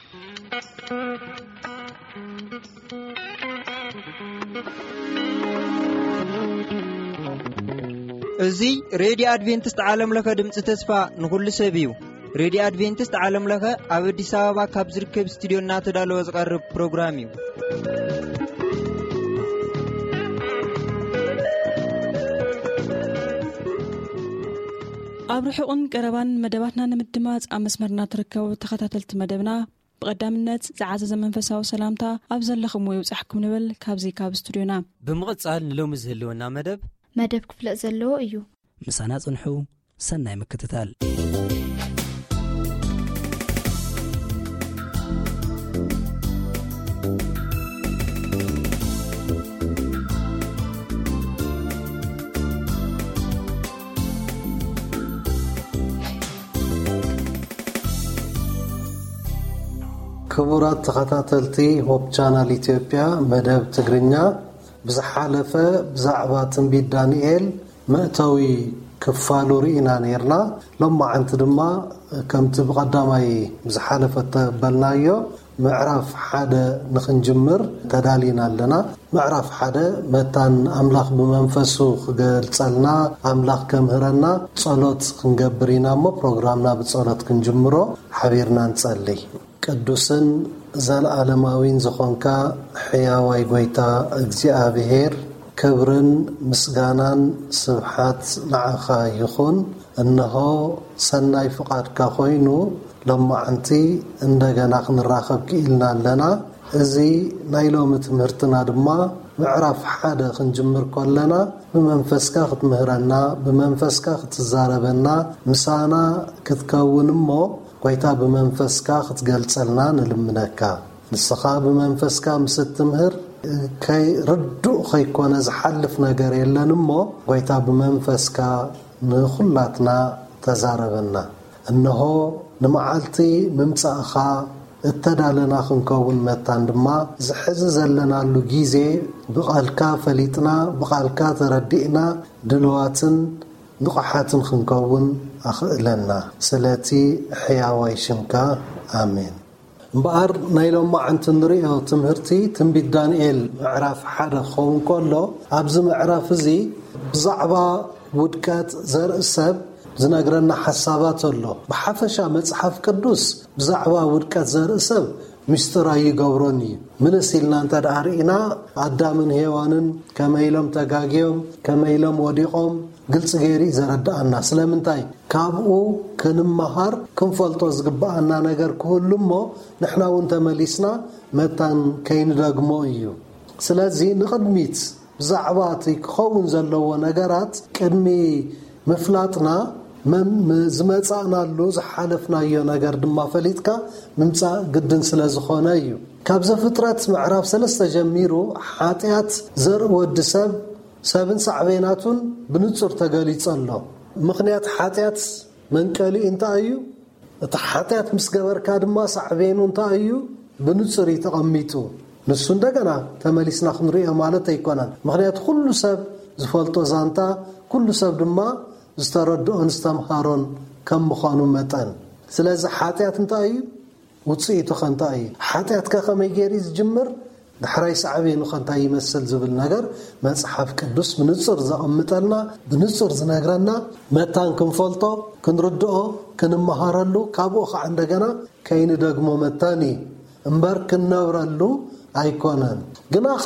እዚ ሬድዮ ኣድቬንቲስት ዓለም ለኸ ድምፂ ተስፋ ንኹሉ ሰብ እዩ። ሬድዮ ኣድቬንቲስት ዓለም ለኸ ኣብ ኣዲስ ኣበባ ካብ ዝርከብ ስቱዲዮ እናተዳለወ ዝቐርብ ፕሮግራም እዩ። ኣብ ርሑቕን ቀረባን መደባትና ንምድማፅ ኣብ መስመርና ትርከቡ ተኸታተልቲ መደብና፣ ብቐዳምነት ዝዓዘዘ መንፈሳዊ ሰላምታ ኣብ ዘለኹምዎ ይብጻሕኩም ንብል ካብዚ ካብ ስቱዲዮና። ብምቕጻል ንሎሚ ዝህልወና መደብ መደብ ክፍለጥ ዘለዎ እዩ። ምሳና ጽንሑ። ሰናይ ምክትታል። ክቡራት ተኸታተልቲ ሆፕ ቻናል ኢትዮጵያ መደብ ትግርኛ፣ ብዝሓለፈ ብዛዕባ ትንቢት ዳንኤል መእተዊ ክፋሉ ርኢና ነይርና። ሎማዓንቲ ድማ ከምቲ ብቐዳማይ ብዝሓለፈ ተበልናዮ ምዕራፍ ሓደ ንኽንጅምር ተዳሊና ኣለና። ምዕራፍ ሓደ መታን ኣምላኽ ብመንፈሱ ክገልጸልና፣ ኣምላኽ ከምህረና ጸሎት ክንገብር ኢና እሞ ፕሮግራምና ብጸሎት ክንጅምሮ ሓቢርና ንጸልይ። ቅዱስን ዘለዓለማዊን ዝኾንካ ሕያዋይ ጐይታ እግዚኣብሔር፣ ክብርን ምስጋናን ስብሓት ንዓኻ ይኹን። እንሆ ሰናይ ፍቓድካ ኮይኑ ሎማዓንቲ እንደገና ክንራኸብ ክኢልና ኣለና። እዚ ናይ ሎሚ ትምህርትና ድማ ምዕራፍ ሓደ ክንጅምር ከለና ብመንፈስካ ክትምህረና፣ ብመንፈስካ ክትዛረበና፣ ምሳና ክትከውን እሞ ጐይታ ብመንፈስካ ክትገልጸልና ንልምነካ። ንስኻ ብመንፈስካ ምስ እትምህር ከይ-፣ ርዱእ ከይኮነ ዝሓልፍ ነገር የለን እሞ ጐይታ ብመንፈስካ ንኹላትና ተዛረበና። እንሆ ንመዓልቲ ምምጻእኻ እተዳለና ክንከውን መታን ድማ ዝሕዚ ዘለናሉ ግዜ ብቓልካ ፈሊጥና ብቓልካ ተረዲእና ድልዋትን ንቑሓትን ክንከውን ኣኽእለና። ስለቲ ሕያዋይ ሽምካ ኣሜን። እምበኣር ናይ ሎማዓንቲ ንሪኦ ትምህርቲ ትንቢት ዳንኤል ምዕራፍ ሓደ ክኸውን ከሎ፣ ኣብዚ ምዕራፍ እዚ ብዛዕባ ውድቀት ዘርኢ ሰብ ዝነግረና ሓሳባት ኣሎ። ብሓፈሻ መጽሓፍ ቅዱስ ብዛዕባ ውድቀት ዘርኢ ሰብ ምስጢር ኣይገብሮን እዩ። ምልስ ኢልና እንተ ደኣ ርኢና፣ ኣዳምን ሄዋንን ከመይ ኢሎም ተጋግዮም፣ ከመይ ኢሎም ወዲቖም፣ ግልጺ ገይሩ እዩ ዘረድኣና። ስለምንታይ? ካብኡ ክንመሃር ክንፈልጦ ዝግብኣና ነገር ክህሉ እሞ ንሕና እውን ተመሊስና መታን ከይንደግሞ እዩ። ስለዚ ንቕድሚት ብዛዕባ እቲ ክኸውን ዘለዎ ነገራት ቅድሚ ምፍላጥና መም-፣ ዝመጻእናሉ ዝሓለፍናዮ ነገር ድማ ፈሊጥካ ምምጻእ ግድን ስለ ዝኾነ እዩ። ካብ ዘፍጥረት ምዕራፍ ሰለስተ ጀሚሩ ሓጢኣት ዘርኢ ወዲ ሰብ ሰብን ሳዕቤናቱን ብንጹር ተገሊጹ ኣሎ። ምኽንያት ሓጢኣት መንቀሊኡ እንታይ እዩ? እቲ ሓጢኣት ምስ ገበርካ ድማ ሳዕቤኑ እንታይ እዩ? ብንጹር እዩ ተቐሚጡ። ንሱ እንደገና ተመሊስና ክንሪኦ ማለት ኣይኮነን። ምኽንያቱ ኩሉ ሰብ ዝፈልጦ ዛንታ፣ ኩሉ ሰብ ድማ ዝተረድኦን ዝተምሃሮን ከም ምዃኑ መጠን። ስለዚ ሓጢኣት እንታይ እዩ? ውጽኢቱ ከ እንታይ እዩ? ሓጢኣት ከ ከመይ ገይሩ እዩ ዝጅምር? ዳሕራይ ሳዕቤኑ ከ እንታይ ይመስል ዝብል ነገር መጽሓፍ ቅዱስ ብንጹር ዘቐምጠልና፣ ብንጹር ዝነግረና፣ መታን ክንፈልጦ፣ ክንርድኦ፣ ክንመሃረሉ፣ ካብኡ ኸዓ እንደገና ከይንደግሞ መታን እዩ እምበር ክንነብረሉ ኣይኮነን። ግናኸ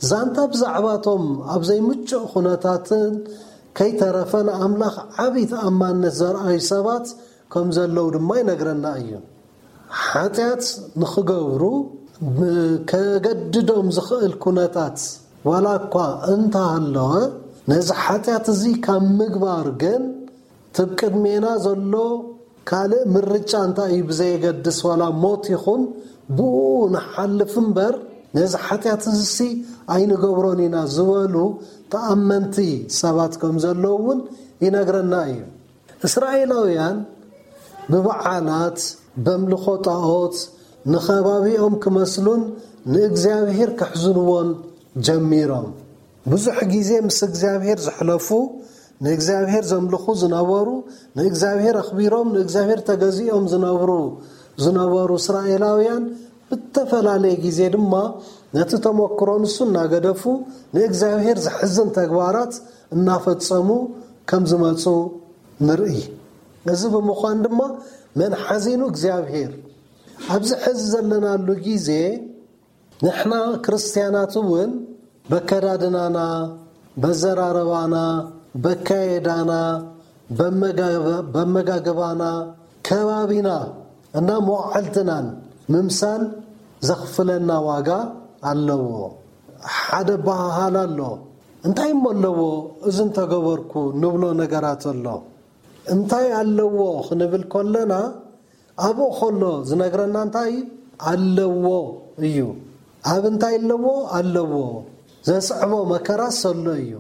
ዛንታ ብዛዕባቶም ኣብ ዘይምቹእ ኩነታትን ከይተረፈ ንኣምላኽ ዓቢ ተኣማንነት ዘርኣዩ ሰባት ከም ዘለዉ ድማ ይነግረና እዩ። ሓጢኣት ንኽገብሩ ብ-፣ ከገድዶም ዝኽእል ኩነታት ዋላ እኳ እንተሃለወ፣ ነዚ ሓጢኣት እዚ ካብ ምግባር ግን ትብ ቅድሜና ዘሎ ካልእ ምርጫ እንታይ እዩ ብዘየገድስ፣ ዋላ ሞት ይኹን ብኡ ንሓልፍ እምበር፣ ነዚ ሓጢኣት እዚሲ ኣይንገብሮን ኢና ዝበሉ ተኣመንቲ ሰባት ከም ዘለዉ እውን ይነግረና እዩ። እስራኤላውያን ብበዓላት፣ በምልኾ ጣኦት፣ ንኸባቢኦም ክመስሉን ንእግዚኣብሔር ከሕዝንዎን ጀሚሮም። ብዙሕ ግዜ ምስ እግዚኣብሔር ዘሕለፉ፣ ንእግዚኣብሔር ዘምልኹ ዝነበሩ፣ ንእግዚኣብሔር ኣኽቢሮም፣ ንእግዚኣብሔር ተገዚኦም ዝነብሩ ዝነበሩ እስራኤላውያን ብተፈላለየ ግዜ ድማ ነቲ ተመክሮ ንሱ እናገደፉ ንእግዚኣብሔር ዘሕዝን ተግባራት እናፈጸሙ ከም ዝመጹ ንርኢ። እዚ ብምዃን ድማ መን ሓዚኑ እግዚኣብሔር ኣብዚ ሕዚ ዘለናሉ ግዜ ንሕና ክርስትያናት እውን በከዳድናና፣ በዘራረባና፣ በካየዳና፣ በመጋገባና፣ ከባቢና እና መዋዕልትናን ምምሳል ዘኽፍለና ዋጋ ኣለዎ። ሓደ በሃሃል ኣሎ። እንታይ እሞ ኣለዎ እዚ እንተገበርኩ ንብሎ ነገራት ኣሎ። እንታይ ኣለዎ ክንብል ከለና ኣብኡ ከሎ ዝነግረና እንታይ ኣለዎ እዩ። ኣብ እንታይ ኣለዎ ኣለዎ። ዘስዕቦ መከራ ሰሎ እዩ።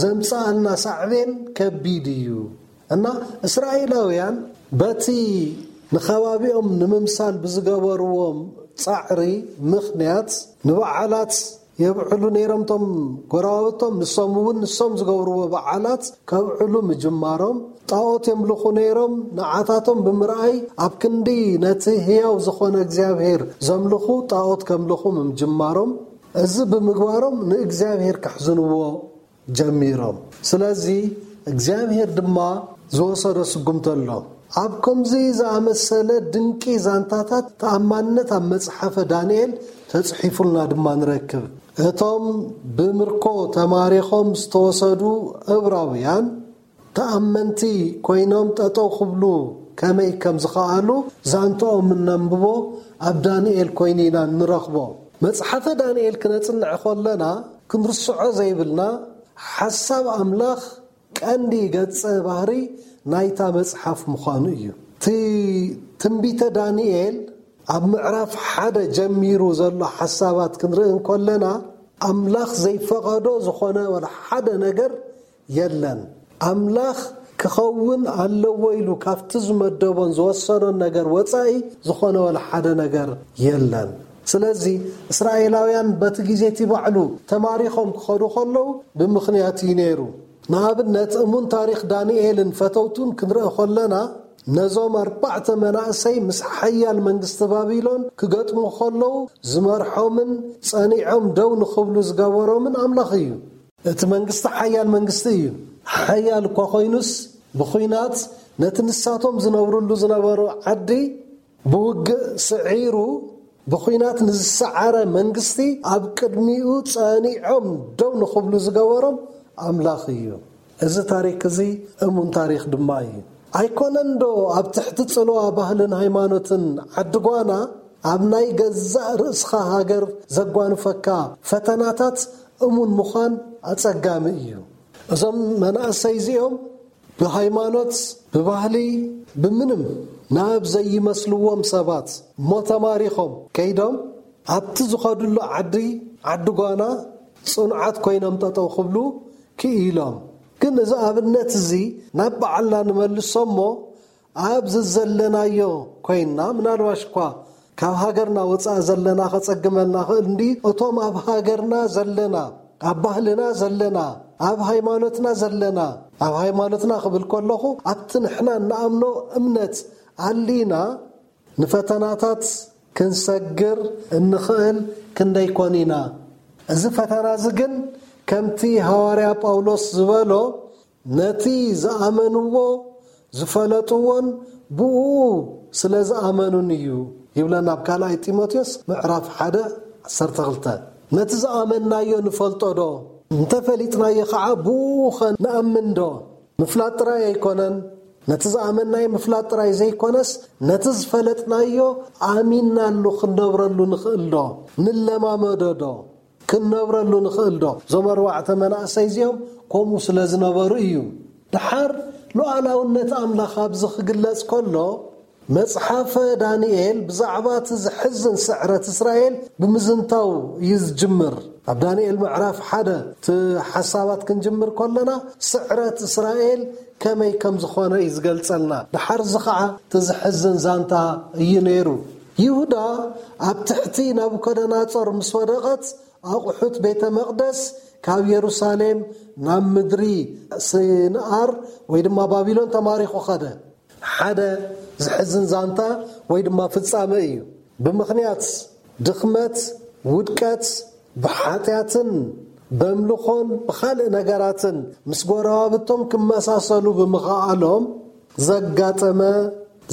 ዘምጽኣልና ሳዕቤን ከቢድ እዩ። እና እስራኤላውያን በቲ ንኸባቢኦም ንምምሳል ብዝገበርዎም ጻዕሪ ምኽንያት ንበዓላት የብዕሉ ነይሮም። እቶም ጎረባብቶም ንሶም እውን ንሶም ዝገብርዎ በዓላት ከብዕሉ ምጅማሮም፣ ጣዖት የምልኹ ነይሮም። ንዓታቶም ብምርኣይ ኣብ ክንዲ ነቲ ህያው ዝኾነ እግዚኣብሔር ዘምልኹ ጣዖት ከምልኹ ምጅማሮም፣ እዚ ብምግባሮም ንእግዚኣብሔር ከሕዝንዎ ጀሚሮም። ስለዚ እግዚኣብሔር ድማ ዝወሰዶ ስጉምቲ ኣሎ። ኣብ ከምዚ ዝኣመሰለ ድንቂ ዛንታታት ተኣማንነት ኣብ መጽሓፈ ዳንኤል ተጽሒፉልና ድማ ንረክብ። እቶም ብምርኮ ተማሪኾም ዝተወሰዱ እብራውያን ተኣመንቲ ኮይኖም ጠጠው ክብሉ ከመይ ከም ዝኸኣሉ ዛንትኦም እነንብቦ ኣብ ዳንኤል ኮይኑ ኢና እንረኽቦ። መጽሓፈ ዳንኤል ክነጽንዕ ከለና ክንርስዖ ዘይብልና ሓሳብ ኣምላኽ ቀንዲ ገጸ ባህሪ ናይታ መጽሓፍ ምዃኑ እዩ። እቲ ትንቢተ ዳንኤል ኣብ ምዕራፍ ሓደ ጀሚሩ ዘሎ ሓሳባት ክንርኢ እንከለና ኣምላኽ ዘይፈቐዶ ዝኾነ ወላ ሓደ ነገር የለን። ኣምላኽ ክኸውን ኣለዎ ኢሉ ካብቲ ዝመደቦን ዝወሰኖን ነገር ወጻኢ ዝኾነ ወላ ሓደ ነገር የለን። ስለዚ እስራኤላውያን በቲ ግዜ እቲ ባዕሉ ተማሪኾም ክኸዱ ከለዉ ብምኽንያት እዩ ነይሩ። ንኣብነት እሙን ታሪኽ ዳንኤልን ፈተውቱን ክንርኢ ከለና ነዞም ኣርባዕተ መናእሰይ ምስ ሓያል መንግስቲ ባቢሎን ክገጥሙ ከለዉ ዝመርሖምን ጸኒዖም ደው ንኽብሉ ዝገበሮምን ኣምላኽ እዩ። እቲ መንግስቲ ሓያል መንግስቲ እዩ። ሓያል እኳ ኮይኑስ ብኹናት ነቲ ንሳቶም ዝነብርሉ ዝነበሩ ዓዲ ብውግእ ስዒሩ ብኹናት ንዝሰዓረ መንግስቲ ኣብ ቅድሚኡ ጸኒዖም ደው ንኽብሉ ዝገበሮም ኣምላኽ እዩ። እዚ ታሪክ እዚ እሙን ታሪክ ድማ እዩ። ኣይኮነን ዶ ኣብ ትሕቲ ጽልዋ ባህልን ሃይማኖትን ዓዲ ጓና ኣብ ናይ ገዛእ ርእስኻ ሃገር ዘጓንፈካ ፈተናታት እሙን ምዃን ኣጸጋሚ እዩ። እዞም መናእሰይ እዚኦም ብሃይማኖት፣ ብባህሊ፣ ብምንም ናብ ዘይመስልዎም ሰባት እሞ ተማሪኾም ከይዶም ኣብቲ ዝኸድሉ ዓዲ፣ ዓዲ ጓና ጽኑዓት ኮይኖም ጠጠው ክብሉ ክኢሎም። ግን እዚ ኣብነት እዚ ናብ በዓልና ንመልሶ እሞ ኣብዚ ዘለናዮ ኮይንና፣ ምናልባሽ እኳ ካብ ሃገርና ወጻኢ ዘለና ከጸግመልና ክእል እንዲ፣ እቶም ኣብ ሃገርና ዘለና፣ ኣብ ባህልና ዘለና፣ ኣብ ሃይማኖትና ዘለና፣ ኣብ ሃይማኖትና ክብል ከለኹ ኣብቲ ንሕና እንኣምኖ እምነት ኣሊና ንፈተናታት ክንሰግር እንኽእል ክንደይ ኮን ኢና። እዚ ፈተና እዚ ግን ከምቲ ሃዋርያ ጳውሎስ ዝበሎ ነቲ ዝኣመንዎ ዝፈለጥዎን ብኡ ስለ ዝኣመኑን እዩ ይብለና ኣብ ካልኣይ ጢሞቴዎስ ምዕራፍ ሓደ ዓሰርተ ክልተ። ነቲ ዝኣመንናዮ ንፈልጦ ዶ? እንተፈሊጥናዮ ኸዓ ብኡ ኸ ንኣምን ዶ? ምፍላጥ ጥራይ ኣይኮነን። ነቲ ዝኣመንናዮ ምፍላጥ ጥራይ ዘይኮነስ ነቲ ዝፈለጥናዮ ኣሚንናሉ ክንነብረሉ ንኽእል ዶ? ንለማመዶ ዶ? ክንነብረሉ ንኽእል ዶ? እዞም ኣርባዕተ መናእሰይ እዚኦም ከምኡ ስለ ዝነበሩ እዩ። ደሓር ሉዓላውነት ኣምላኽ ኣብዚ ክግለጽ ከሎ መጽሓፈ ዳንኤል ብዛዕባ እቲ ዝሕዝን ስዕረት እስራኤል ብምዝንታው እዩ ዝጅምር። ኣብ ዳንኤል ምዕራፍ ሓደ እቲ ሓሳባት ክንጅምር ከለና ስዕረት እስራኤል ከመይ ከም ዝኾነ እዩ ዝገልጸልና። ደሓር እዚ ኸዓ እቲ ዝሕዝን ዛንታ እዩ ነይሩ። ይሁዳ ኣብ ትሕቲ ናቡከደናጾር ምስ ወደቐት ኣቑሑት ቤተ መቕደስ ካብ የሩሳሌም ናብ ምድሪ ስንኣር ወይ ድማ ባቢሎን ተማሪኹ ኸደ። ሓደ ዝሕዝን ዛንታ ወይ ድማ ፍጻመ እዩ። ብምኽንያት ድኽመት፣ ውድቀት፣ ብሓጢኣትን በምልኾን ብኻልእ ነገራትን ምስ ጎረባብቶም ክመሳሰሉ ብምኽኣሎም ዘጋጠመ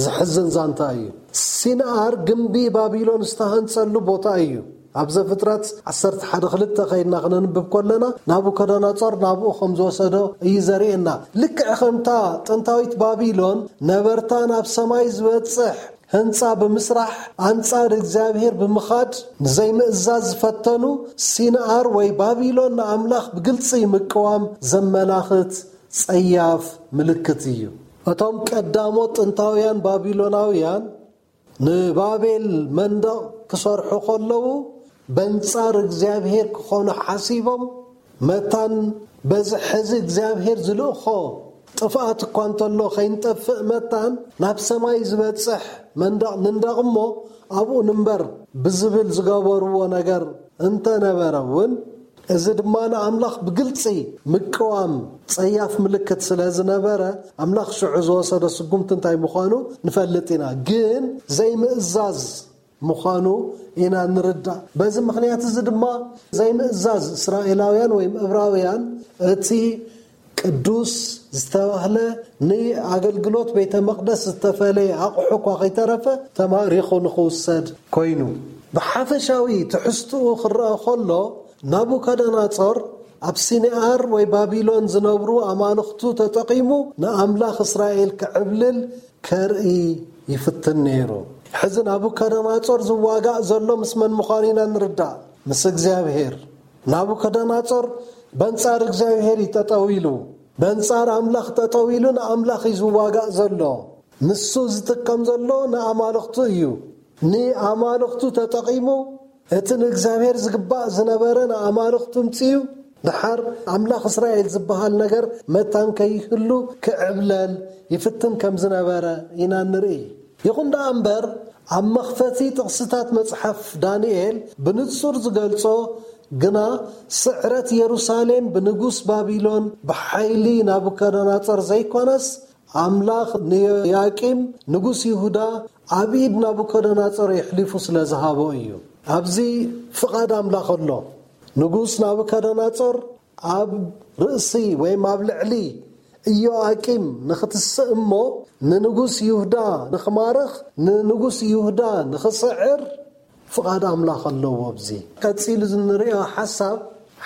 ዘሕዝን ዛንታ እዩ። ሲንኣር ግምቢ ባቢሎን ዝተሃንጸሉ ቦታ እዩ። ኣብ ዘፍጥረት ዓሰርተ ሓደ ክልተ ከይድና ክነንብብ ከለና ናቡከደነጾር ናብኡ ከም ዝወሰዶ እዩ ዘርእየና። ልክዕ ከምታ ጥንታዊት ባቢሎን ነበርታ ናብ ሰማይ ዝበጽሕ ህንጻ ብምስራሕ ኣንጻር እግዚኣብሔር ብምኻድ ንዘይምእዛዝ ዝፈተኑ፣ ሲንኣር ወይ ባቢሎን ንኣምላኽ ብግልጺ ምቅዋም ዘመላኽት ጸያፍ ምልክት እዩ። እቶም ቀዳሞት ጥንታውያን ባቢሎናውያን ንባቤል መንደቕ ክሰርሑ ከለዉ በንጻር እግዚኣብሔር ክኾኑ ሓሲቦም፣ መታን በዚ ሕዚ እግዚኣብሔር ዝልእኾ ጥፍኣት እኳ እንተሎ ከይንጠፍእ መታን ናብ ሰማይ ዝበጽሕ መንደቕ ንንደቕ እሞ ኣብኡ ንንበር ብዝብል ዝገበርዎ ነገር እንተነበረ እውን፣ እዚ ድማ ንኣምላኽ ብግልጺ ምቅዋም ጸያፍ ምልክት ስለ ዝነበረ፣ ኣምላኽ ሽዑ ዝወሰዶ ስጉምቲ እንታይ ምዃኑ ንፈልጥ ኢና። ግን ዘይምእዛዝ ምዃኑ ኢና ንርዳእ። በዚ ምኽንያት እዚ ድማ ዘይምእዛዝ እስራኤላውያን ወይም እብራውያን እቲ ቅዱስ ዝተባህለ ንኣገልግሎት ቤተ መቕደስ ዝተፈለየ ኣቑሑ እኳ ከይተረፈ ተማሪኹ ንኽውሰድ ኮይኑ። ብሓፈሻዊ ትሕዝትኡ ክረአ ከሎ ናቡከደነጾር ኣብ ሲንኣር ወይ ባቢሎን ዝነብሩ ኣማልኽቱ ተጠቒሙ ንኣምላኽ እስራኤል ክዕብልል ከርኢ ይፍትን ነይሩ። ሕዚ ናቡከደነጾር ዝዋጋእ ዘሎ ምስ መን ምዃኑ ኢና ንርዳእ። ምስ እግዚኣብሔር። ናቡከደነጾር በንጻር እግዚኣብሔር እዩ ጠጠው ኢሉ። በንጻር ኣምላኽ ጠጠው ኢሉ ንኣምላኽ እዩ ዝዋጋእ ዘሎ። ንሱ ዝጥቀም ዘሎ ንኣማልኽቱ እዩ። ንኣማልኽቱ ተጠቒሙ እቲ ንእግዚኣብሔር ዝግባእ ዝነበረ ንኣማልኽቱ ምጽኡ። ድሓር ኣምላኽ እስራኤል ዝበሃል ነገር መታን ከይህሉ ክዕብለል ይፍትን ከም ዝነበረ ኢና ንርኢ። ይኹን ደኣ እምበር፣ ኣብ መኽፈቲ ጥቕስታት መጽሓፍ ዳንኤል ብንጹር ዝገልጾ ግና፣ ስዕረት የሩሳሌም ብንጉስ ባቢሎን ብሓይሊ ናቡከደነጾር ዘይኮነስ፣ ኣምላኽ ንዮያቂም ንጉስ ይሁዳ ኣብ ኢድ ናቡከደነጾር የሕሊፉ ስለ ዝሃቦ እዩ። ኣብዚ ፍቓድ ኣምላኽ ኣሎ። ንጉስ ናቡከደነጾር ኣብ ርእሲ ወይም ኣብ ልዕሊ ኢዮኣቂም ንኽትስእ እሞ፣ ንንጉስ ይሁዳ ንኽማርኽ፣ ንንጉስ ይሁዳ ንኽስዕር ፍቓድ ኣምላኽ ኣለዎ። ኣብዚ ቀጺሉ ንሪኦ ሓሳብ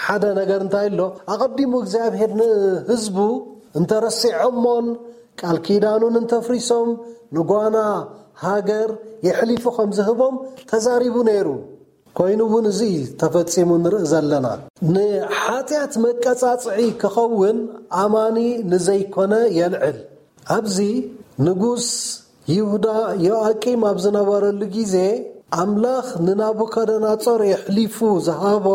ሓደ ነገር እንታይ ኣሎ? ኣቐዲሙ እግዚኣብሔር ንህዝቡ እንተረሲዖሞን ቃል ኪዳኑን እንተፍሪሶም ንጓና ሃገር የሕሊፉ ከም ዝህቦም ተዛሪቡ ነይሩ። ኮይኑ እውን እዚ ተፈጺሙ ንርኢ ዘለና። ንሓጢኣት መቀጻጽዒ ክኸውን ኣማኒ ንዘይኮነ የልዕል። ኣብዚ ንጉስ ይሁዳ ዮኣቂም ኣብ ዝነበረሉ ግዜ፣ ኣምላኽ ንናቡከደነጾር የሕሊፉ ዝሃቦ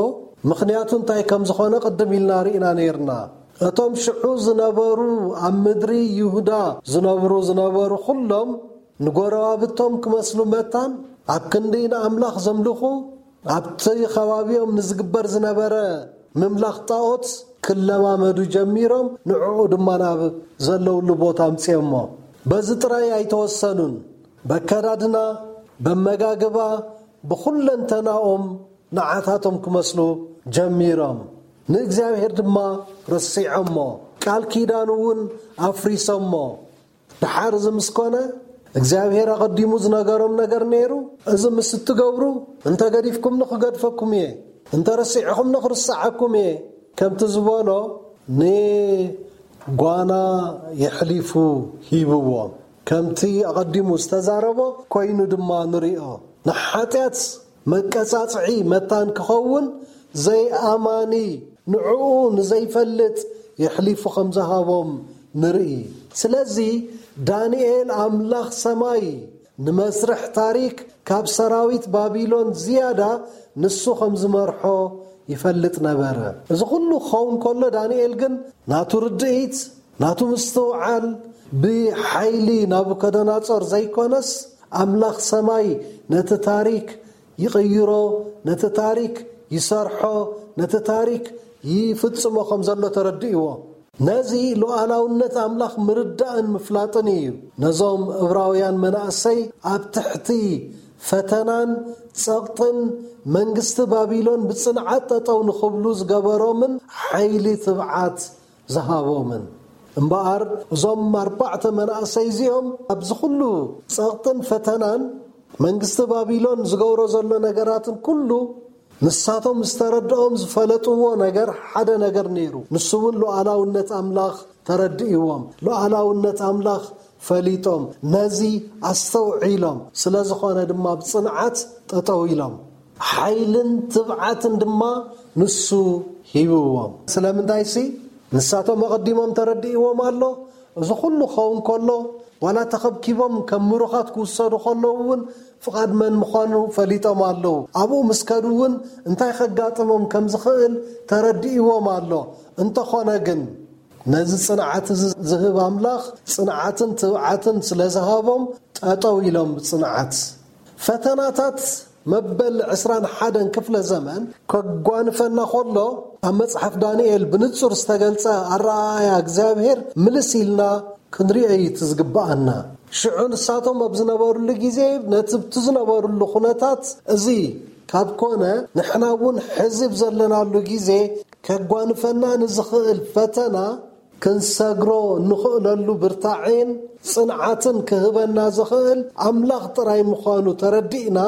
ምኽንያቱ እንታይ ከም ዝኾነ ቅድም ኢልና ርኢና ነይርና። እቶም ሽዑ ዝነበሩ ኣብ ምድሪ ይሁዳ ዝነብሩ ዝነበሩ ኩሎም ንጎረባብቶም ክመስሉ መታን ኣብ ክንዲ ንኣምላኽ ዘምልኹ ኣብቲ ከባቢኦም ንዝግበር ዝነበረ ምምላኽ ጣኦት ክለማመዱ ጀሚሮም፣ ንዕኡ ድማ ናብ ዘለውሉ ቦታ ኣምጺኦሞ። በዚ ጥራይ ኣይተወሰኑን። በከዳድና፣ በመጋግባ፣ ብኹለንተናኦም ንዓታቶም ክመስሉ ጀሚሮም። ንእግዚኣብሔር ድማ ረሲዖሞ፣ ቃል ኪዳኑ እውን ኣፍሪሶሞ። ደሓር እዚ ምስ ኮነ እግዚኣብሔር ኣቐዲሙ ዝነገሮም ነገር ነይሩ። እዚ ምስ እትገብሩ እንተ ገዲፍኩምኒ ክገድፈኩም እየ፣ እንተ ረሲዕኹምኒ ክርስዓኩም እየ ከምቲ ዝበሎ ንጓና የሕሊፉ ሂብዎም። ከምቲ ኣቐዲሙ ዝተዛረቦ ኮይኑ ድማ ንሪኦ። ንሓጢኣት መቀጻጽዒ መታን ክኸውን ዘይኣማኒ ንዕኡ ንዘይፈልጥ የሕሊፉ ከም ዝሃቦም ንርኢ። ስለዚ ዳንኤል ኣምላኽ ሰማይ ንመስርሕ ታሪክ ካብ ሰራዊት ባቢሎን ዝያዳ ንሱ ከም ዝመርሖ ይፈልጥ ነበረ። እዚ ኩሉ ክኸውን ከሎ ዳንኤል ግን ናቱ ርድኢት፣ ናቱ ምስትውዓል ብሓይሊ ናቡከደነጾር ዘይኮነስ ኣምላኽ ሰማይ ነቲ ታሪክ ይቕይሮ፣ ነቲ ታሪክ ይሰርሖ፣ ነቲ ታሪክ ይፍጽሞ ከም ዘሎ ተረዲእዎ። ነዚ ሉዓላውነት ኣምላኽ ምርዳእን ምፍላጥን እዩ ነዞም እብራውያን መናእሰይ ኣብ ትሕቲ ፈተናን ጸቕጥን መንግስቲ ባቢሎን ብጽንዓት ጠጠው ንኽብሉ ዝገበሮምን ሓይሊ ትብዓት ዝሃቦምን። እምበኣር እዞም ኣርባዕተ መናእሰይ እዚኦም ኣብዚ ኩሉ ጸቕጥን ፈተናን መንግስቲ ባቢሎን ዝገብሮ ዘሎ ነገራትን ኩሉ ንሳቶም ዝተረድኦም ዝፈለጥዎ ነገር ሓደ ነገር ነይሩ። ንሱ እውን ሉዓላውነት ኣምላኽ ተረድእዎም። ሉዓላውነት ኣምላኽ ፈሊጦም ነዚ ኣስተውዒሎም ስለ ዝኾነ ድማ ብጽንዓት ጠጠው ኢሎም። ሓይልን ትብዓትን ድማ ንሱ ሂብዎም። ስለምንታይሲ ንሳቶም ኣቐዲሞም ተረድእዎም ኣሎ። እዚ ኩሉ ክኸውን ከሎ ዋላ ተኸብኪቦም ከም ምሩኻት ክውሰዱ ከለዉ እውን ፍቓድ መን ምዃኑ ፈሊጦም ኣለዉ። ኣብኡ ምስ ከዱ እውን እንታይ ከጋጥሞም ከም ዝኽእል ተረድእዎም ኣሎ። እንተኾነ ግን ነዚ ጽንዓት እዚ ዝህብ ኣምላኽ ጽንዓትን ትብዓትን ስለ ዝሃቦም ጠጠው ኢሎም ብጽንዓት። ፈተናታት መበል ዕስራን ሓደን ክፍለ ዘመን ከጓንፈና ከሎ ኣብ መጽሓፍ ዳንኤል ብንጹር ዝተገልጸ ኣረኣእያ እግዚኣብሔር ምልስ ኢልና ክንሪኦ እዩ እቲ ዝግብኣና። ሽዑ ንሳቶም ኣብ ዝነበሩሉ ግዜ ነቲ ብቲ ዝነበሩሉ ኩነታት እዚ ካብ ኮነ ንሕና እውን ሕዚ ብዘለናሉ ግዜ ከጓንፈና ንዝኽእል ፈተና ክንሰግሮ እንኽእለሉ ብርታዔን ጽንዓትን ክህበና ዝኽእል ኣምላኽ ጥራይ ምዃኑ ተረዲእና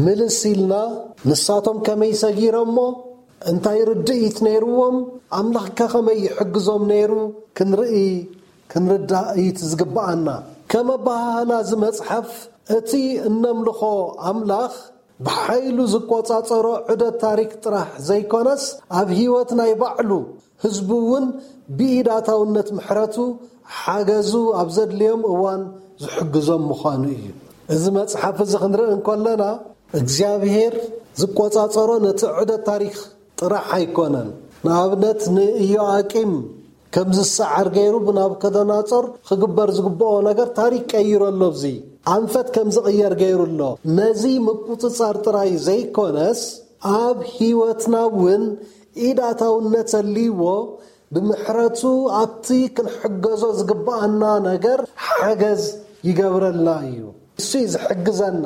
ምልስ ኢልና ንሳቶም ከመይ ሰጊሮሞ እንታይ ርድኢት ነይርዎም ኣምላኽከ ከመይ ይሕግዞም ነይሩ ክንርኢ ክንርዳእ እዩ እቲ ዝግብኣና። ከም ኣበሃህላ እዚ መጽሓፍ እቲ እነምልኾ ኣምላኽ ብሓይሉ ዝቆጻጸሮ ዑደት ታሪክ ጥራሕ ዘይኮነስ ኣብ ህይወት ናይ ባዕሉ ህዝቡ እውን ብኢዳታውነት ምሕረቱ ሓገዙ ኣብ ዘድልዮም እዋን ዝሕግዞም ምዃኑ እዩ። እዚ መጽሓፍ እዚ ክንርኢ እንከለና እግዚኣብሔር ዝቆጻጸሮ ነቲ ዑደት ታሪክ ጥራሕ ኣይኮነን። ንኣብነት ንኢዮኣቂም ከም ዝሰዓር ገይሩ ብናቡከደነጾር ክግበር ዝግብኦ ነገር ታሪክ ቀይሩ ኣሎ። እዚ ኣንፈት ከም ዝቕየር ገይሩ ኣሎ። ነዚ ምቁጽጻር ጥራይ ዘይኮነስ ኣብ ህይወትና እውን ኢዳታውነት ኣልይዎ ብምሕረቱ ኣብቲ ክንሕገዞ ዝግብኣና ነገር ሓገዝ ይገብረልና እዩ። እሱ እዩ ዝሕግዘና።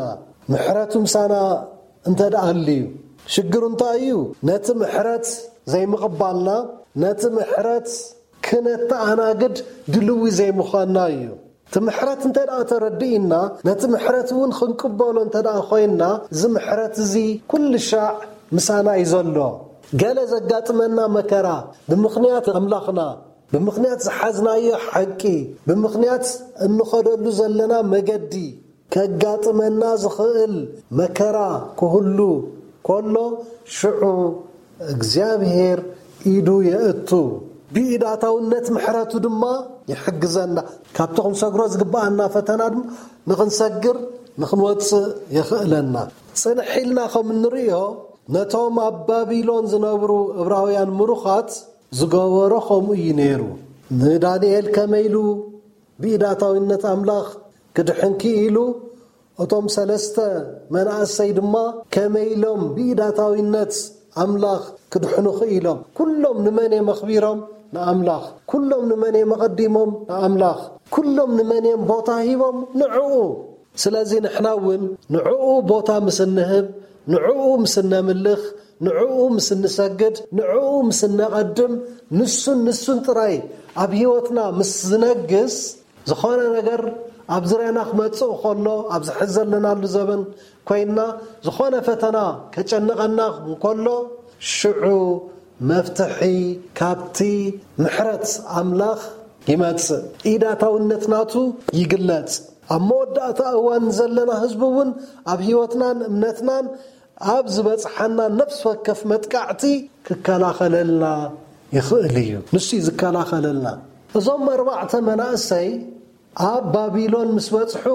ምሕረቱ ምሳና እንተ ደኣ ኣልዩ ሽግሩ እንታይ እዩ? ነቲ ምሕረት ዘይምቕባልና፣ ነቲ ምሕረት ክነተኣናግድ ድልዊ ዘይምዃንና እዩ። እቲ ምሕረት እንተ ደኣ ተረዲእና፣ ነቲ ምሕረት እውን ክንቅበሎ እንተ ደኣ ኮይንና፣ እዚ ምሕረት እዚ ኩሉ ሻዕ ምሳና እዩ ዘሎ። ገለ ዘጋጥመና መከራ ብምኽንያት ኣምላኽና፣ ብምኽንያት ዝሓዝናዮ ሓቂ፣ ብምኽንያት እንኸደሉ ዘለና መገዲ ከጋጥመና ዝኽእል መከራ ክህሉ ከሎ ሽዑ እግዚኣብሔር ኢዱ የእቱ። ብኢዳታውነት ምሕረቱ ድማ ይሕግዘና። ካብቲ ክንሰግሮ ዝግብኣና ፈተና ድማ ንኽንሰግር ንኽንወፅእ የኽእለና። ጽንሕ ኢልና ከም እንርእዮ ነቶም ኣብ ባቢሎን ዝነብሩ እብራውያን ምሩኻት ዝገበሮ ከምኡ እዩ ነይሩ። ንዳንኤል ከመይ ኢሉ ብኢዳታዊነት ኣምላኽ ክድሕን ክኢሉ፣ እቶም ሰለስተ መናእሰይ ድማ ከመይ ኢሎም ብኢዳታዊነት ኣምላኽ ክድሕኑ ክኢሎም። ኩሎም ንመን እዮም ኣኽቢሮም? ንኣምላኽ። ኩሎም ንመን እዮም ኣቐዲሞም? ንኣምላኽ። ኩሎም ንመን እዮም ቦታ ሂቦም? ንዕኡ። ስለዚ ንሕና እውን ንዕኡ ቦታ ምስ እንህብ፣ ንዕኡ ምስ እነምልኽ፣ ንዕኡ ምስ እንሰግድ፣ ንዕኡ ምስ እነቐድም፣ ንሱን ንሱን ጥራይ ኣብ ህይወትና ምስ ዝነግስ፣ ዝኾነ ነገር ኣብ ዙርያና ክመጽእ ከሎ፣ ኣብዚ ሕዚ ዘለናሉ ዘበን ኮይንና፣ ዝኾነ ፈተና ከጨንቐና እንከሎ፣ ሽዑ መፍትሒ ካብቲ ምሕረት ኣምላኽ ይመጽእ። ኢዳታውነት ናቱ ይግለጽ። ኣብ መወዳእታ እዋን ዘለና ህዝቢ እውን ኣብ ህይወትናን እምነትናን ኣብ ዝበጽሓና ነፍሲ ወከፍ መጥቃዕቲ ክከላኸለልና ይኽእል እዩ። ንሱ እዩ ዝከላኸለልና። እዞም ኣርባዕተ መናእሰይ ኣብ ባቢሎን ምስ በጽሑ፣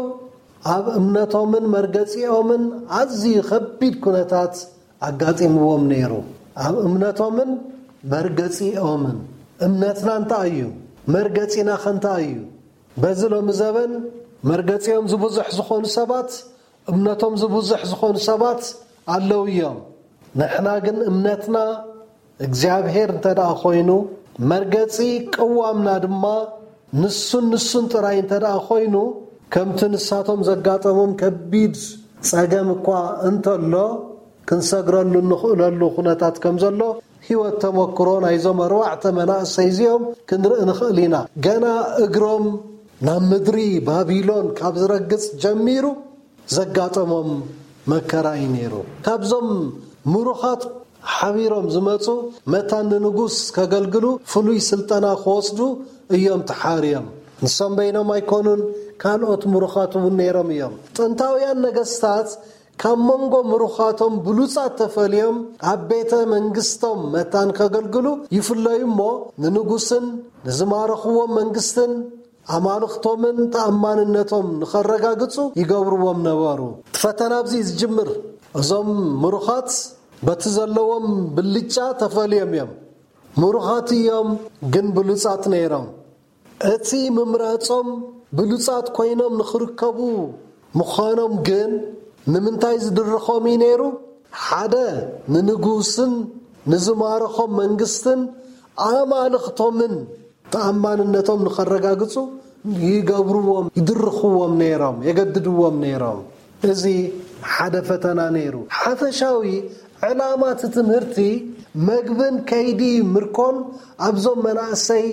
ኣብ እምነቶምን መርገጺኦምን ኣዝዩ ከቢድ ኩነታት ኣጋጢምዎም ነይሩ። ኣብ እምነቶምን መርገጺኦምን። እምነትና እንታይ እዩ? መርገጺናኸ እንታይ እዩ? በዚ ሎሚ ዘበን መርገጺኦም ዝብዙሕ ዝኾኑ ሰባት፣ እምነቶም ዝብዙሕ ዝኾኑ ሰባት ኣለዉ እዮም። ንሕና ግን እምነትና እግዚኣብሔር እንተ ደኣ ኮይኑ፣ መርገጺ ቅዋምና ድማ ንሱን ንሱን ጥራይ እንተ ደኣ ኮይኑ፣ ከምቲ ንሳቶም ዘጋጠሞም ከቢድ ጸገም እኳ እንተሎ፣ ክንሰግረሉ እንኽእለሉ ኩነታት ከም ዘሎ ህይወት ተመክሮ ናይዞም ኣርባዕተ መናእሰይ እዚኦም ክንርኢ ንኽእል ኢና። ገና እግሮም ናብ ምድሪ ባቢሎን ካብ ዝረግጽ ጀሚሩ ዘጋጠሞም መከራ እዩ ነይሩ። ካብዞም ምሩኻት ሓቢሮም ዝመጹ መታን ንንጉስ ከገልግሉ ፍሉይ ስልጠና ክወስዱ እዮም ተሓርዮም። ንሶም በይኖም ኣይኮኑን፣ ካልኦት ምሩኻት እውን ነይሮም እዮም። ጥንታውያን ነገስታት ካብ መንጎ ምሩኻቶም ብሉጻት ተፈልዮም ኣብ ቤተ መንግስቶም መታን ከገልግሉ ይፍለዩ እሞ፣ ንንጉስን ንዝማረኽዎም መንግስትን ኣማልኽቶምን ተኣማንነቶም ንኸረጋግጹ ይገብርዎም ነበሩ። እቲ ፈተና ኣብዚ እዩ ዝጅምር። እዞም ምሩኻት በቲ ዘለዎም ብልጫ ተፈልዮም እዮም። ምሩኻት እዮም፣ ግን ብሉጻት ነይሮም። እቲ ምምራጾም ብሉጻት ኮይኖም ንኽርከቡ ምዃኖም ግን ንምንታይ ዝድርኾም እዩ ነይሩ? ሓደ፣ ንንጉስን ንዝማረኾም መንግስትን ኣማልኽቶምን ተኣማንነቶም ንኸረጋግጹ ይገብርዎም፣ ይድርኽዎም ነይሮም፣ የገድድዎም ነይሮም። እዚ ሓደ ፈተና ነይሩ። ሓፈሻዊ ዕላማ እቲ ትምህርቲ መግብን ከይዲ ምርኮን ኣብዞም መናእሰይ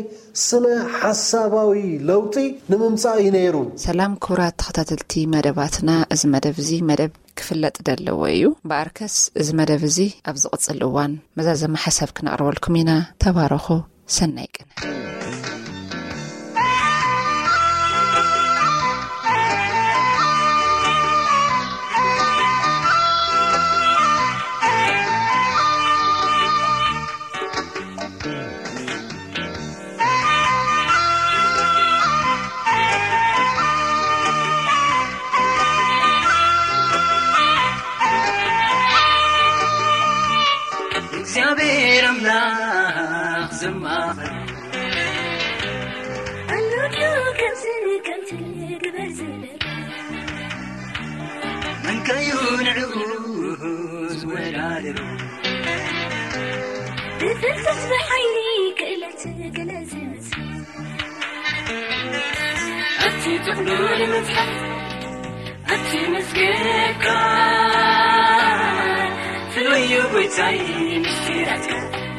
ስነ ሓሳባዊ ለውጢ ንምምጻእ እዩ ነይሩ። ሰላም ክቡራት ተኸታተልቲ መደባትና፣ እዚ መደብ እዚ መደብ ክፍለጥ ደለዎ እዩ። እምበኣርከስ እዚ መደብ እዚ ኣብ ዝቕጽል እዋን መዛዘሚ ሓሳብ ክነቕርበልኩም ኢና። ተባረኹ። ሰናይ ቅነ። እግዚኣብሔር ኣምላኽ ዘማኸረ ኣሎ ድዩ ከምዚ ከምቲ ግበር ዝብል? መንካዩ ንዕኡ ዝወዳደሮ? ብፍልጠት ብሓይሊ ክእለት ገለ ዝመስል ኣብቲ ጥቕሉል መጽሓፍ ኣብቲ መዝገብካ ፍሉይ እዩ ጎይታይ ምስጢራትካ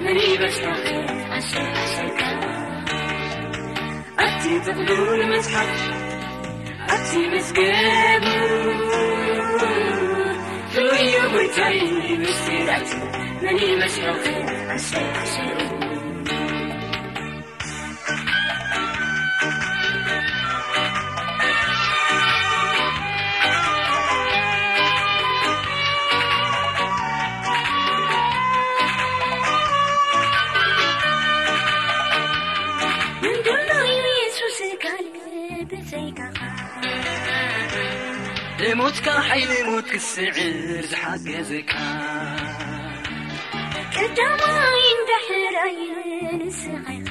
መን ይበጽሖ ኣሸ ኣሸካ ኣብቲ ጥቕሉል መጽሓፍ ኣብቲ መዝገቡ ፍሉይ እዩ ጎይታይ ምስጢራት መን ይመስሎ ኣሸ ኣሸ ብሞትካ ሓይሊ ሞት ክስዕር ዝሓገዘካ ቀዳማይን ዳሕራይን ንስኻ ኢኻ።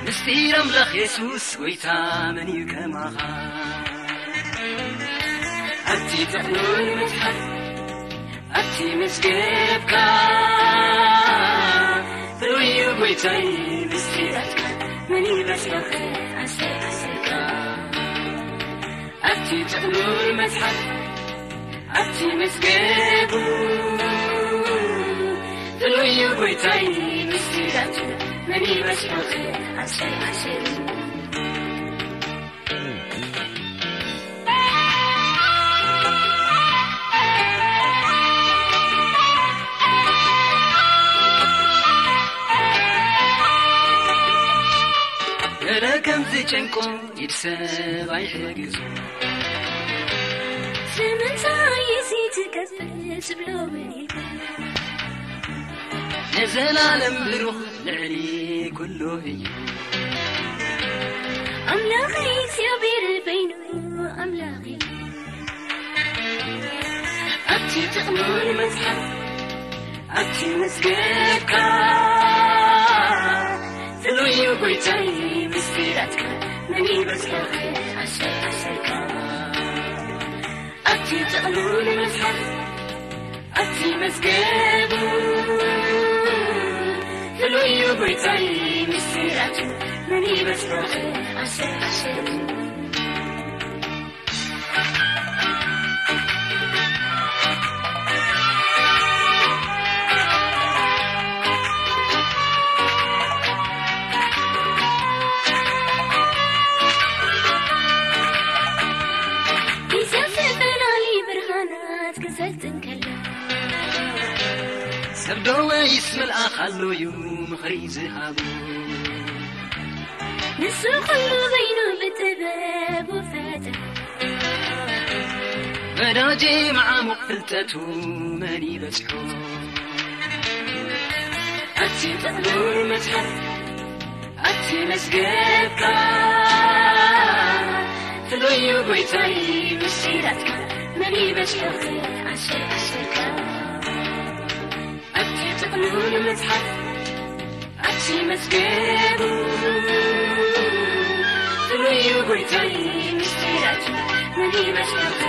ምስጢር ኣምላኽ የሱስ ጎይታ መን እዩ ከማኻ? ኣብቲ ጥቕሉል መጽሓፍ ኣብቲ መዝገብካ ፍሉይ እዩ ጎይታይ ምስጢራትካ መን ይመስለኺ ኣሰይኣሰይካ ኣብቲ ጥቕሉል መጽሓፍ ኣብቲ መዝገቡ ፍሉይ እዩ ጎይታይ ምስጢራቱ መን ይመስለኺ ኣሰይኣሰይ ገለ ከም ዝጨንቆ ኢድ ሰብ ኣይሕግዞ። ስለምንታይ እዚ ትገብር ዝብሎ እውን የለን። ንዘላለም ብሩኽ ልዕሊ ኩሉ እዩ። ኣምላኽ እግዚኣብሔር በይኑ ኣምላኽ እዩ። ኣብቲ ጥቕሉል መጽሓፍ ኣብቲ መዝገብካ ፍሉይ እዩ ጎይታይ ምስጢራትካ መን ይበጽሖ ኣሰር ኣሰርካ ኣብቲ ጥቕሉል መጽሓፍ ኣብቲ መዝገቡ ፍሉይ እዩ ጎይታይ ምስጢራቱ፣ መን ይበጽሖ ዓሰብ ዓሰብ። ግዜ ዝተፈላለዩ ብርሃናት ክሰልጥን ከሎ፣ ሰብ ዶ ወይስ መልኣኽ ኣሎ እዩ ምኽሪ ዝሃቡ? ንሱ ኩሉ በይኑ ብጥበቡ ፈጠረ። ወዳጄ መዓሙቕ ፍልጠቱ መን ይበጽሖ? ኣብቲ ጥቕሉል መጽሓፍ ኣብቲ መዝገብካ ፍሉይ እዩ ጎይታይ ምስጢራትካ መን ይበጽሖ ዓሰብ ዓሰብካ? ኣብቲ ጥቕሉል መጽሓፍ ኣብቲ መዝገቡ ፍሉይ እዩ ጎይታይ ምስጢራቱ መን ይበጽሖ